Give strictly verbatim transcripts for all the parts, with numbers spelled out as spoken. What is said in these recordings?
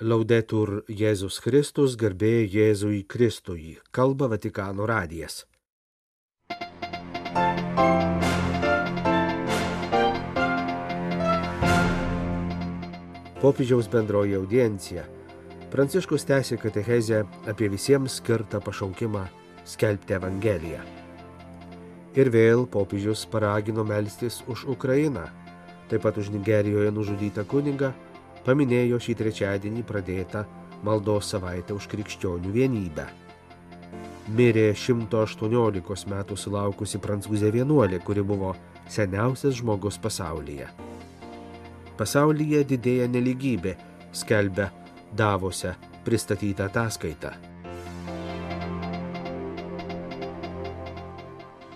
Laudetur Jėzus Kristus, garbė Jėzui Kristui, kalba Vatikano radijas. Popiežiaus bendroji audiencija. Pranciškus tęsė katechezę apie visiems skirtą pašaukimą skelbti Evangeliją. Ir vėl popiežius paragino melstis už Ukrainą, taip pat už Nigerijoje nužudytą kunigą, paminėjo šį trečiadienį pradėtą maldos savaitę už krikščionių vienybę. Mirė šimto aštuoniolikos metų sulaukusi prancūzė vienuolė, kuri buvo seniausias žmogus pasaulyje. Pasaulyje didėja nelygybė, skelbia Davose pristatyta ataskaita.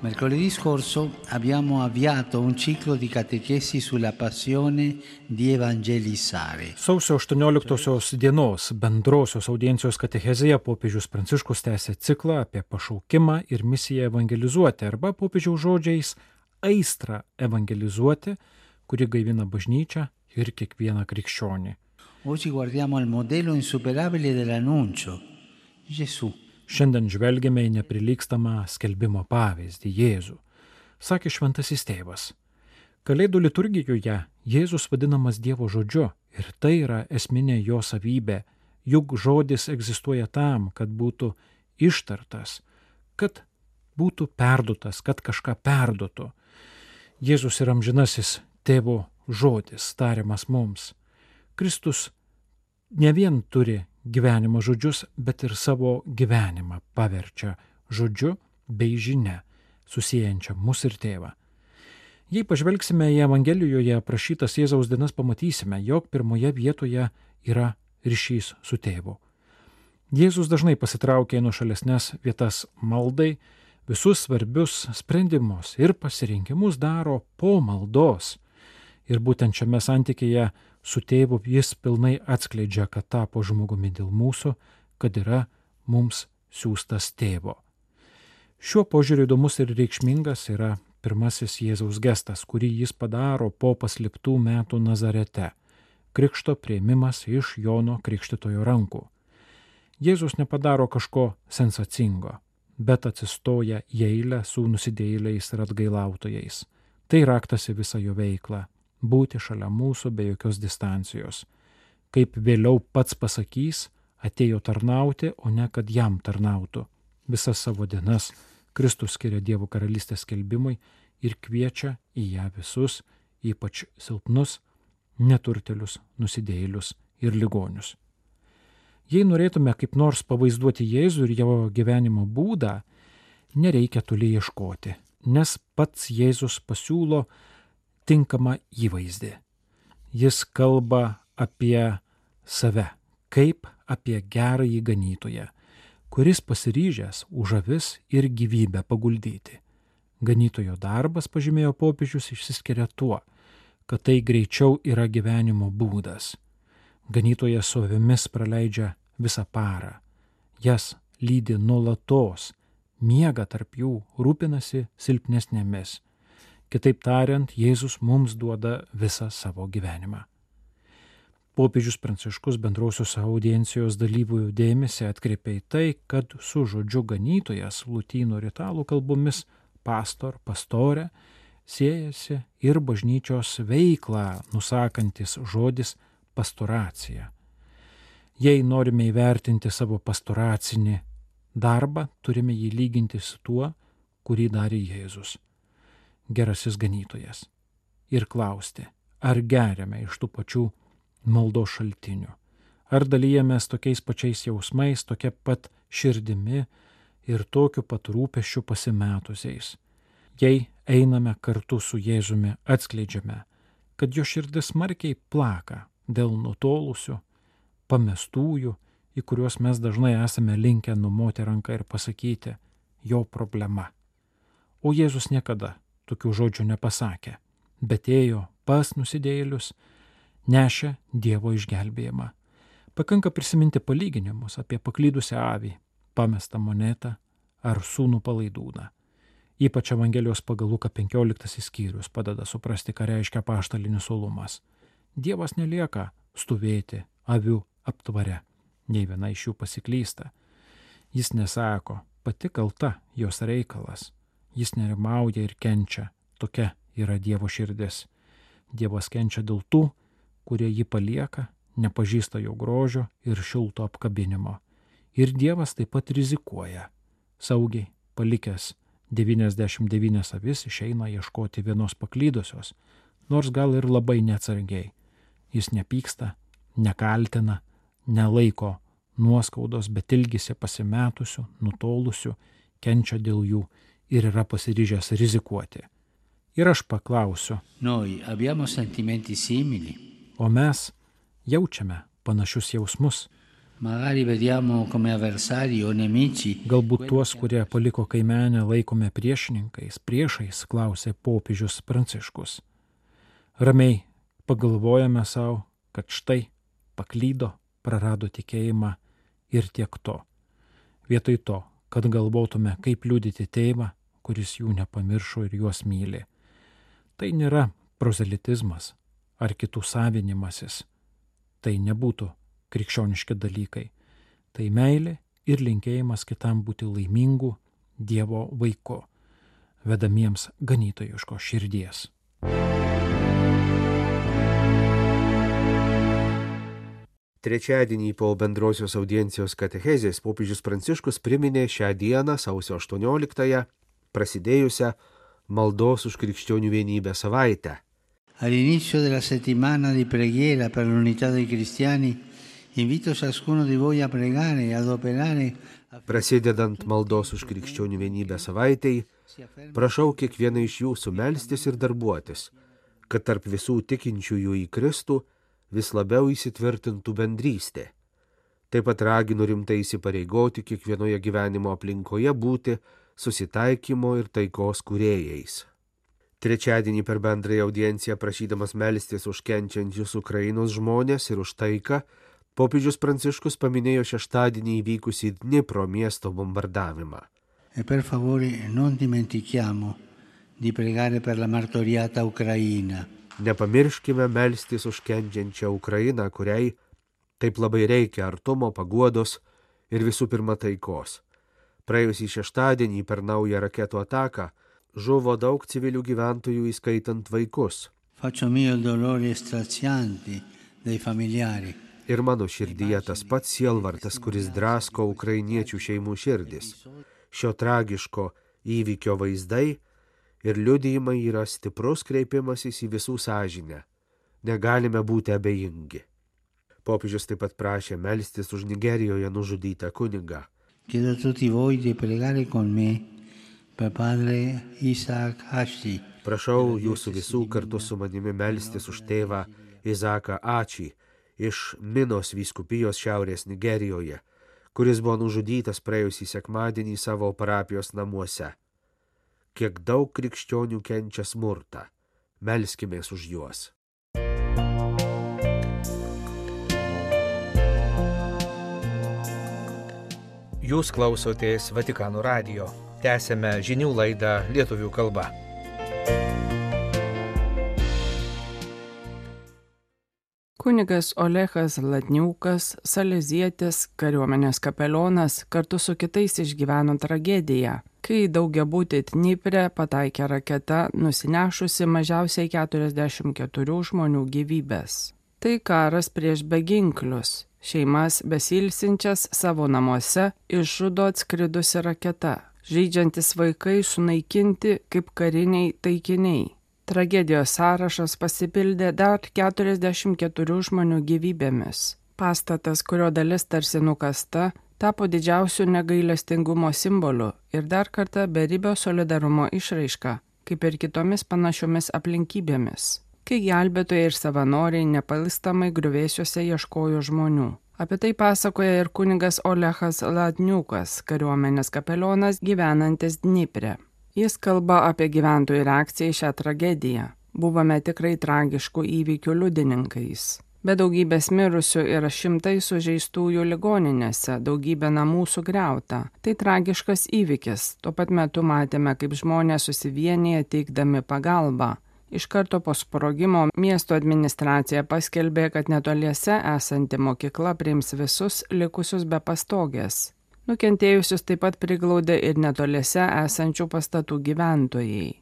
Mercoledì scorso abbiamo avviato un ciclo di catechesi sulla passione di evangelizzare. Sausio aštuonioliktosios dienos bendrosios audiencijos katechezėje popiežius Pranciškus tęsė ciklą apie pašaukimą ir misiją evangelizuoti, arba popiežiaus žodžiais aistrą evangelizuoti, kuri gaivina bažnyčią ir kiekvieną krikščionį. Oggi guardiamo al modello insuperabile dell'annuncio, Gesù. Šiandien žvelgiame į neprilygstamą skelbimo pavyzdį Jėzų. Sakė šventasis tėvas. Kalėdų liturgijoje Jėzus vadinamas Dievo žodžiu ir tai yra esminė jo savybė, juk žodis egzistuoja tam, kad būtų ištartas, kad būtų perduotas, kad kažką perduotų. Jėzus yra amžinasis tėvo žodis, tariamas mums. Kristus ne vien turi gyvenimo žodžius, bet ir savo gyvenimą paverčia žodžiu bei žinia, susiejančia mus ir tėvą. Jei pažvelgsime į Evangelijoje aprašytas Jėzaus dienas, pamatysime, jog pirmoje vietoje yra ryšys su tėvu. Jėzus dažnai pasitraukė į nuošalesnes vietas maldai, visus svarbius sprendimus ir pasirinkimus daro po maldos. Ir būtent šiame santykėje su tėvu jis pilnai atskleidžia, kad tapo žmogumi dėl mūsų, kad yra mums siųstas tėvo. Šiuo požiūriu įdomus ir reikšmingas yra pirmasis Jėzaus gestas, kurį jis padaro po paslėptų metų Nazarete – krikšto priėmimas iš Jono Krikštytojo rankų. Jėzus nepadaro kažko sensacingo, bet atsistoja į eilę su nusidėjėliais ir atgailautojais. Tai raktas į visą jo veiklą. Būti šalia mūsų be jokios distancijos. Kaip vėliau pats pasakys, atėjo tarnauti, o ne kad jam tarnautų. Visas savo dienas Kristus skiria Dievo karalystės skelbimui ir kviečia į ją visus, ypač silpnus, neturtelius, nusidėjėlius ir ligonius. Jei norėtume kaip nors pavaizduoti Jėzų ir jo gyvenimo būdą, nereikia toli ieškoti, nes pats Jėzus pasiūlo tinkamą įvaizdį. Jis kalba apie save, kaip apie gerąjį ganytoją, kuris pasiryžęs už avis ir gyvybę paguldyti. Ganytojo darbas, pažymėjo popiežius, išsiskiria tuo, kad tai greičiau yra gyvenimo būdas. Ganytojas su avimis praleidžia visą parą, jas lydi nuolatos, miega tarp jų, rūpinasi silpnesnėmis. Kitaip tariant, Jėzus mums duoda visą savo gyvenimą. Popiežius Pranciškus bendrosios audiencijos dalyvių dėmesį atkreipė į tai, kad su žodžiu ganytojas lotynų ir italų kalbomis pastor, pastorė siejasi ir bažnyčios veiklą nusakantis žodis pastoracija. Jei norime įvertinti savo pastoracinį darbą, turime jį lyginti su tuo, kurį darė Jėzus, gerasis ganytojas, ir klausti, ar geriame iš tų pačių maldos šaltinių, ar dalyjamės tokiais pačiais jausmais, tokia pat širdimi ir tokiu pat rūpesčiu pasimetusiais. Jei einame kartu su Jėzumi, atskleidžiame, kad jo širdis smarkiai plaka dėl nutolusių, pamestųjų, į kuriuos mes dažnai esame linkę numoti ranką ir pasakyti jo problema. O Jėzus niekada tokių žodžių nepasakė, bet ėjo pas nusidėjėlius, nešė Dievo išgelbėjimą. Pakanka prisiminti palyginimus apie paklydusią avį, pamestą monetą ar sūnų palaidūną. Ypač Evangelijos pagal Luką penkioliktasis skyrius padeda suprasti, ką reiškia apaštalinis uolumas. Dievas nelieka stovėti avių aptvare. Nei viena iš jų pasiklysta. Jis nesako, pati kalta jos reikalas. Jis nerimauja ir kenčia. Tokia yra Dievo širdis. Dievas kenčia dėl tų, kurie jį palieka, nepažįsta jo grožio ir šilto apkabinimo. Ir Dievas taip pat rizikuoja. Saugiai, palikęs devyniasdešimt devynias avis, išeina ieškoti vienos paklydusios, nors gal ir labai neatsargiai. Jis nepyksta, nekaltina, nelaiko nuoskaudos, bet ilgisi pasimetusių, nutolusių, kenčia dėl jų ir yra pasiryžęs rizikuoti. Ir aš paklausiu, Noi abbiamo sentimenti simili. o mes jaučiame panašius jausmus. Magari vediamo come avversari o nemici. Galbūt tuos, kurie paliko kaimenę, laikome priešininkais, priešais, klausė popiežius Pranciškus. Ramiai pagalvojame savo, kad štai paklydo, prarado tikėjimą ir tiek to. Vietoj to, kad galvotume, kaip liudyti tėvą, kuris jų nepamiršo ir juos myli. Tai nėra prozelitizmas ar kitų savinimasis. Tai nebūtų krikščioniški dalykai. Tai meilė ir linkėjimas kitam būti laimingu Dievo vaiku, vedamiems ganytojiško širdies. Trečiadienį po bendrosios audiencijos katechezės popiežius Pranciškus priminė šią dieną, sausio aštuonioliktąją, prasidėjusią maldos už krikščionių vienybę savaitę. All'inizio della settimana di preghiera per l'unità dei cristiani, invito ciascuno di voi a pregare e ad operare. Prasidedant maldos už krikščionių vienybę savaitei, prašau kiekvieną iš jūsų melstis ir darbuotis, kad tarp visų tikinčiųjų į Kristų vis labiau įsitvirtintų bendrystė. Taip pat raginu rimtai įsipareigoti kiekvienoje gyvenimo aplinkoje būti susitaikymo ir taikos kūrėjais. Trečiadienį per bendrąją audienciją prašydamas melstis už kenčiančius Ukrainos žmonės ir už taiką, popiežius Pranciškus paminėjo šeštadienį įvykusį Dnipro miesto bombardavimą. E per favore non dimentichiamo di pregare per la martoriata Ucraina. Nepamirškime melstis už kenčiančią Ukrainą, kuriai taip labai reikia artumo, paguodos ir visų pirma taikos. Praėjusį šeštadienį per naują raketų ataką žuvo daug civilių gyventojų, įskaitant vaikus. Faccio mio il dolore straziante dei familiari. Ir mano širdyje tas pats sielvartas, kuris drasko ukrainiečių šeimų širdis. Šio tragiško įvykio vaizdai ir liudijimai yra stiprus kreipimasis į visų sąžinę. Negalime būti abejingi. Popiežius taip pat prašė melstis už Nigerijoje nužudytą kunigą. Chiedo a tutti voi di pregare con me per padre Isaac Hashi. Prašau jūsų visų kartu su manimi melstis už tėvą Izaką Ačį iš Minos vyskupijos šiaurės Nigerijoje, kuris buvo nužudytas praėjusį sekmadienį savo parapijos namuose. Kiek daug krikščionių kenčia smurtą. Melskimės už juos. Jūs klausotės Vatikano radijo. Tęsėme žinių laidą lietuvių kalba. Kunigas Olechas Latniukas, salezietis, kariuomenės kapelionas, kartu su kitais išgyveno tragediją, kai daugiabutį Dnipre pataikė raketa, nusinešusi mažiausiai keturiasdešimt keturių žmonių gyvybės. Tai karas prieš beginklius. Šeimas besilsinčias savo namuose išžudo atskridusi raketa. Žaidžiantis vaikai sunaikinti kaip kariniai taikiniai. Tragedijos sąrašas pasipildė dar keturiasdešimt keturių žmonių gyvybėmis. Pastatas, kurio dalis tarsi nukasta, tapo didžiausiu negailestingumo simboliu ir dar kartą beribio solidarumo išraiška, kaip ir kitomis panašiomis aplinkybėmis, kai gelbėtojai ir savanoriai nepalistamai griuvėsiuose ieškojo žmonių. Apie tai pasakoja ir kunigas Olechas Latniukas, kariuomenės kapelionas gyvenantis Dnipre. Jis kalba apie gyventojų reakciją į šią tragediją. Buvome tikrai tragiškų įvykių liudininkais. Be daugybės mirusių yra šimtai sužeistųjų ligoninėse, daugybė namų sugriauta. Tai tragiškas įvykis. Tuo pat metu matėme, kaip žmonės susivienyje teikdami pagalbą. Iš karto po sprogimo miesto administracija paskelbė, kad netoliese esanti mokykla priims visus likusius be pastogės. Nukentėjusius taip pat priglaudė ir netoliese esančių pastatų gyventojai.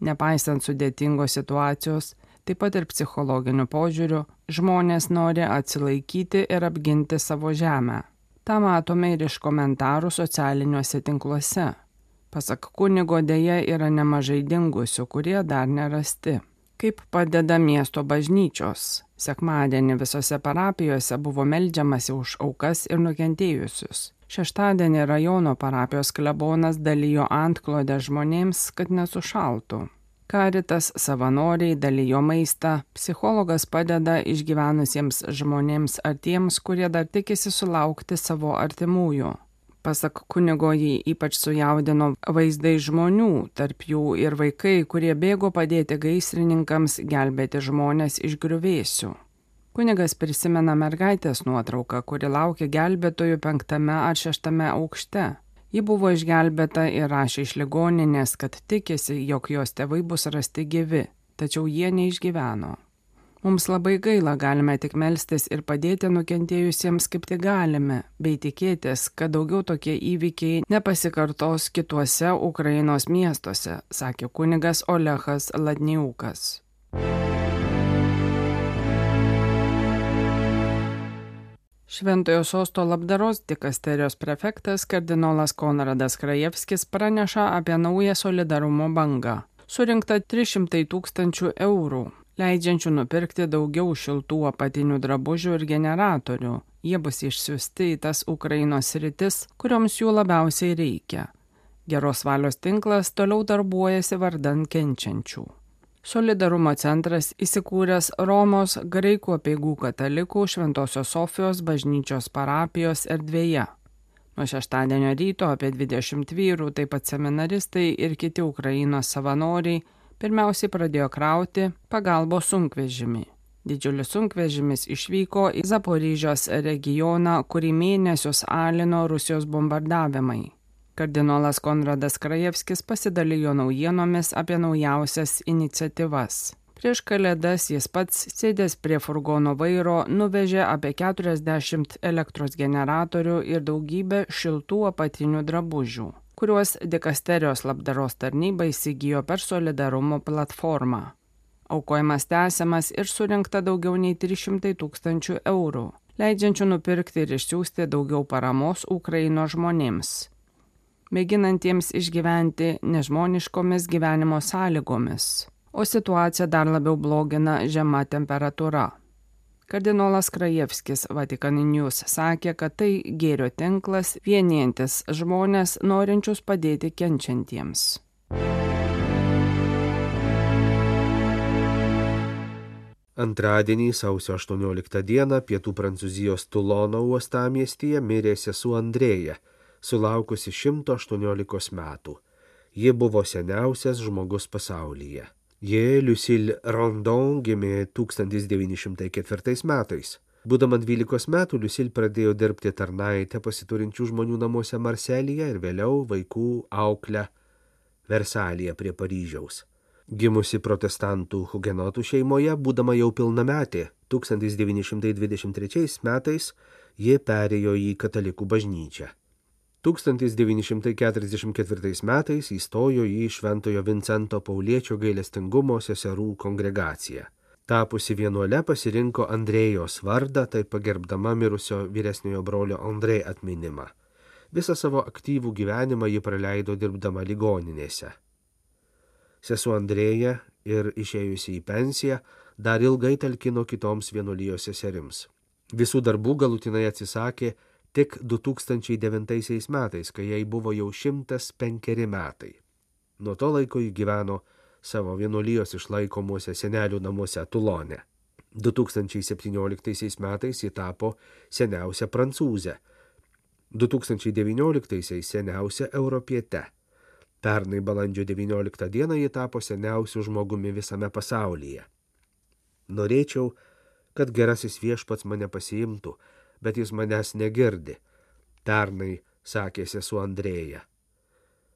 Nepaisant sudėtingos situacijos, taip pat ir psichologiniu požiūriu, žmonės nori atsilaikyti ir apginti savo žemę. Ta matome ir iš komentarų socialiniuose tinkluose. Pasak kunigo, dėja yra nemažai dingusių, kurie dar nerasti. Kaip padeda miesto bažnyčios? Sekmadienį visose parapijose buvo meldžiamasi už aukas ir nukentėjusius. Šeštadienį rajono parapijos klebonas dalijo antklodę žmonėms, kad nesušaltų. Karitas savanoriai dalijo maistą, psichologas padeda išgyvenusiems žmonėms ar tiems, kurie dar tikisi sulaukti savo artimųjų. Pasak kunigo, jį ypač sujaudino vaizdai žmonių, tarp jų ir vaikai, kurie bėgo padėti gaisrininkams gelbėti žmonės iš griuvėsių. Kunigas prisimena mergaitės nuotrauką, kuri laukia gelbėtojų penktame ar šeštame aukšte. Ji buvo išgelbėta ir rašė iš ligoninės, kad tikisi, jog jos tėvai bus rasti gyvi, tačiau jie neišgyveno. Mums labai gaila, galime tik melstis ir padėti nukentėjusiems kaip tik galime, bei tikėtis, kad daugiau tokie įvykiai nepasikartos kituose Ukrainos miestuose, sakė kunigas Olechas Ladniukas. Šventojo sosto labdaros dikasterijos prefektas kardinolas Konradas Krajevskis praneša apie naują solidarumo bangą. Surinkta trys šimtai tūkstančių eurų, leidžiančių nupirkti daugiau šiltų apatinių drabužių ir generatorių. Jie bus išsiųsti į tas Ukrainos sritis, kurioms jų labiausiai reikia. Geros valios tinklas toliau darbuojasi vardan kenčiančių. Solidarumo centras įsikūręs Romos graikų apeigų katalikų Šventosios Sofijos bažnyčios parapijos erdvėje. Nuo šeštadienio ryto apie dvidešimt vyrų, taip pat seminaristai ir kiti Ukrainos savanoriai pirmiausiai pradėjo krauti pagalbos sunkvežimį. Didžiulis sunkvežimis išvyko į Zaporyžios regioną, kurį mėnesius alino Rusijos bombardavimai. Kardinolas Konradas Krajevskis pasidalijo naujienomis apie naujausias iniciatyvas. Prieš kalėdas jis pats, sėdęs prie furgono vairo, nuvežė apie keturiasdešimt elektros generatorių ir daugybę šiltų apatinių drabužių, kuriuos dikasterijos labdaros tarnyba įsigijo per solidarumo platformą. Aukojimas tęsiamas ir surinkta daugiau nei trys šimtai tūkstančių eurų, leidžiančių nupirkti ir išsiųsti daugiau paramos Ukrainos žmonėms, mėginantiems išgyventi nežmoniškomis gyvenimo sąlygomis, o situaciją dar labiau blogina žema temperatūra. Kardinolas Krajevskis Vatikan News sakė, kad tai gėrio tinklas vienijantis žmonės norinčius padėti kenčiantiems. Antradienį, sausio aštuonioliktą dieną, pietų Prancūzijos Tulono uostamiestyje mirė sesuo Andrėja, sulaukusi šimto aštuoniolikos metų. Ji buvo seniausias žmogus pasaulyje. Ji, Lucille Rondon, gimė tūkstantis devyni šimtai ketvirtais metais. Būdama dvylikos metų, Lucille pradėjo dirbti tarnaitę pasiturinčių žmonių namuose Marselyje ir vėliau vaikų auklę Versalyje prie Paryžiaus. Gimusi protestantų hugenotų šeimoje, būdama jau pilnametė, tūkstantis devyni šimtai dvidešimt trečiais metais ji perėjo į katalikų bažnyčią. tūkstantis devyni šimtai keturiasdešimt ketvirtais metais įstojo į Šventojo Vincento Pauliečio gailestingumo seserų kongregaciją. Tapusi vienuole pasirinko Andrėjos vardą, taip pagerbdama mirusio vyresniojo brolio Andrė atminimą. Visą savo aktyvų gyvenimą ji praleido dirbdama ligoninėse. Sesuo Andrėja ir išėjusi į pensiją dar ilgai talkino kitoms vienuolijos seserims. Visų darbų galutinai atsisakė tik du tūkstančiai devintaisiais metais, kai jai buvo jau šimtas penkeri metai. Nuo to laiko ji gyveno savo vienuolijos išlaikomuose senelių namuose Tulone. du tūkstančiai septynioliktaisiais metais ji tapo seniausia prancūzė, du tūkstančiai devynioliktaisiais seniausia europiete. Pernai balandžio devynioliktą dieną ji tapo seniausiu žmogumi visame pasaulyje. Norėčiau, kad gerasis viešpats mane pasiimtų, bet jis manęs negirdi, pernai sakė sesuo Andrėja.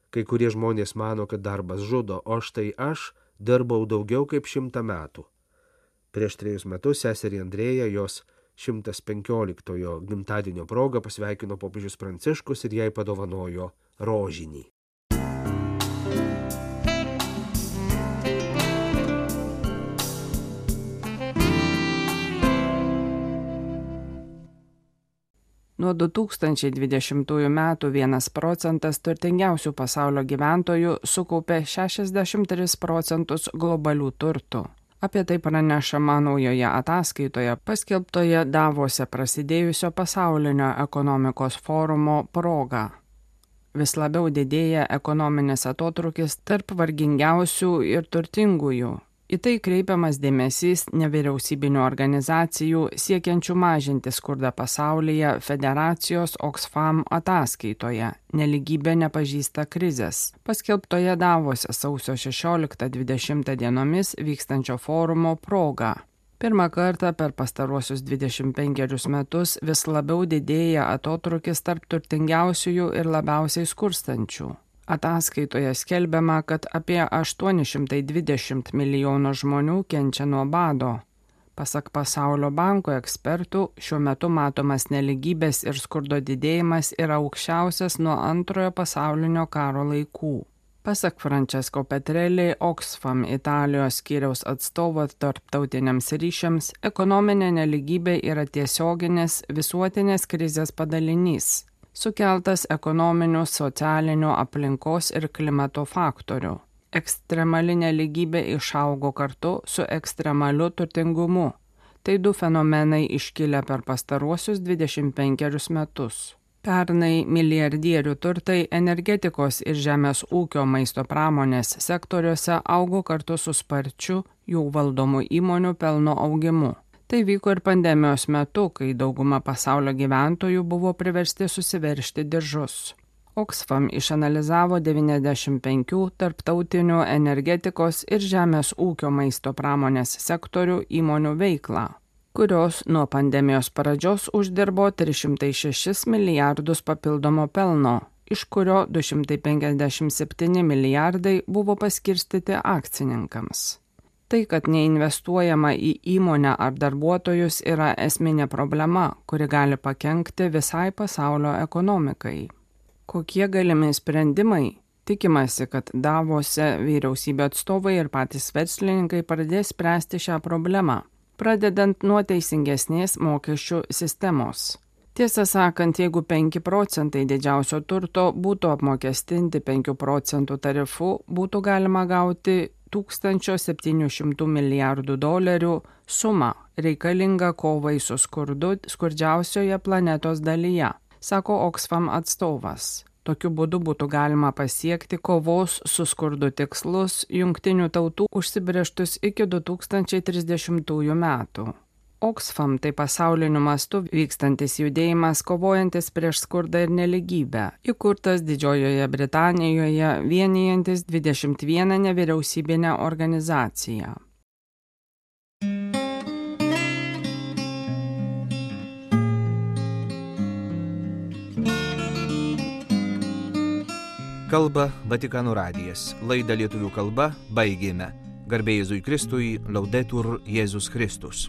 Kai kurie žmonės mano, kad darbas žudo, o štai aš dirbau daugiau kaip šimtą metų. Prieš trejus metus seserį Andrėją jos šimtas penkioliktojo gimtadienio proga pasveikino popiežius Pranciškus ir jai padovanojo rožinį. Nuo du tūkstančiai dvidešimtųjų metų vienas procentas turtingiausių pasaulio gyventojų sukaupė šešiasdešimt tris procentus globalių turtų. Apie tai pranešama naujoje ataskaitoje paskelbtoje Davose prasidėjusio pasaulinio ekonomikos forumo proga. Vis labiau didėja ekonominis atotrūkis tarp vargingiausių ir turtingųjų. Į tai kreipiamas dėmesys nevyriausybinių organizacijų siekiančių mažinti skurdą pasaulyje Federacijos Oxfam ataskaitoje Nelygybė nepažįsta krizės, paskelbtoje Davose sausio šešioliktą dvidešimtą dienomis vykstančio forumo proga. Pirmą kartą per pastaruosius dvidešimt penkerius metus vis labiau didėja atotrūkis tarp turtingiausiųjų ir labiausiai skurstančių. Ataskaitoje skelbiama, kad apie aštuoni šimtai dvidešimt milijonų žmonių kenčia nuo bado. Pasak Pasaulio banko ekspertų, šiuo metu matomas nelygybės ir skurdo didėjimas yra aukščiausias nuo antrojo pasaulinio karo laikų. Pasak Francesco Petrelli, Oxfam Italijos skyriaus atstovo tarptautiniams ryšiams, ekonominė nelygybė yra tiesioginės visuotinės krizės padalinys, sukeltas ekonominių, socialinių, aplinkos ir klimato faktorių. Ekstremali nelygybė išaugo kartu su ekstremaliu turtingumu. Tai du fenomenai iškilę per pastaruosius dvidešimt penkerius metus. Pernai milijardierių turtai energetikos ir žemės ūkio maisto pramonės sektoriuose augo kartu su sparčiu jų valdomų įmonių pelno augimu. Tai vyko ir pandemijos metu, kai dauguma pasaulio gyventojų buvo priversti susiveržti diržus. Oxfam išanalizavo devyniasdešimt penkių tarptautinių energetikos ir žemės ūkio maisto pramonės sektorių įmonių veiklą, kurios nuo pandemijos pradžios uždirbo tris šimtus šešis milijardus papildomo pelno, iš kurio du šimtai penkiasdešimt septyni milijardai buvo paskirstyti akcininkams. Tai, kad neinvestuojama į įmonę ar darbuotojus, yra esminė problema, kuri gali pakenkti visai pasaulio ekonomikai. Kokie galimi sprendimai? Tikimasi, kad Davose vyriausybė atstovai ir patys verslininkai pradės spręsti šią problemą, pradedant nuo teisingesnės mokesčių sistemos. Tiesą sakant, jeigu penki procentai didžiausio turto būtų apmokestinti penkių procentų tarifu, būtų galima gauti tūkstančio septynių šimtų milijardų dolerių sumą reikalingą kovai su skurdu skurdžiausioje planetos dalyje, sako Oxfam atstovas. Tokiu būdu būtų galima pasiekti kovos su skurdu tikslus Jungtinių tautų užsibrėžtus iki du tūkstančiai trisdešimtųjų metų. Oxfam tai pasauliniu mastu vykstantis judėjimas kovojantis prieš skurdą ir nelygybę, įkurtas Didžiojoje Britanijoje vienijantis dvidešimt vieną nevyriausybinę organizaciją. Kalba Vatikano radijas. Laidą lietuvių kalba baigėme. Garbė Jėzui Kristui, Laudetur Jėzus Kristus.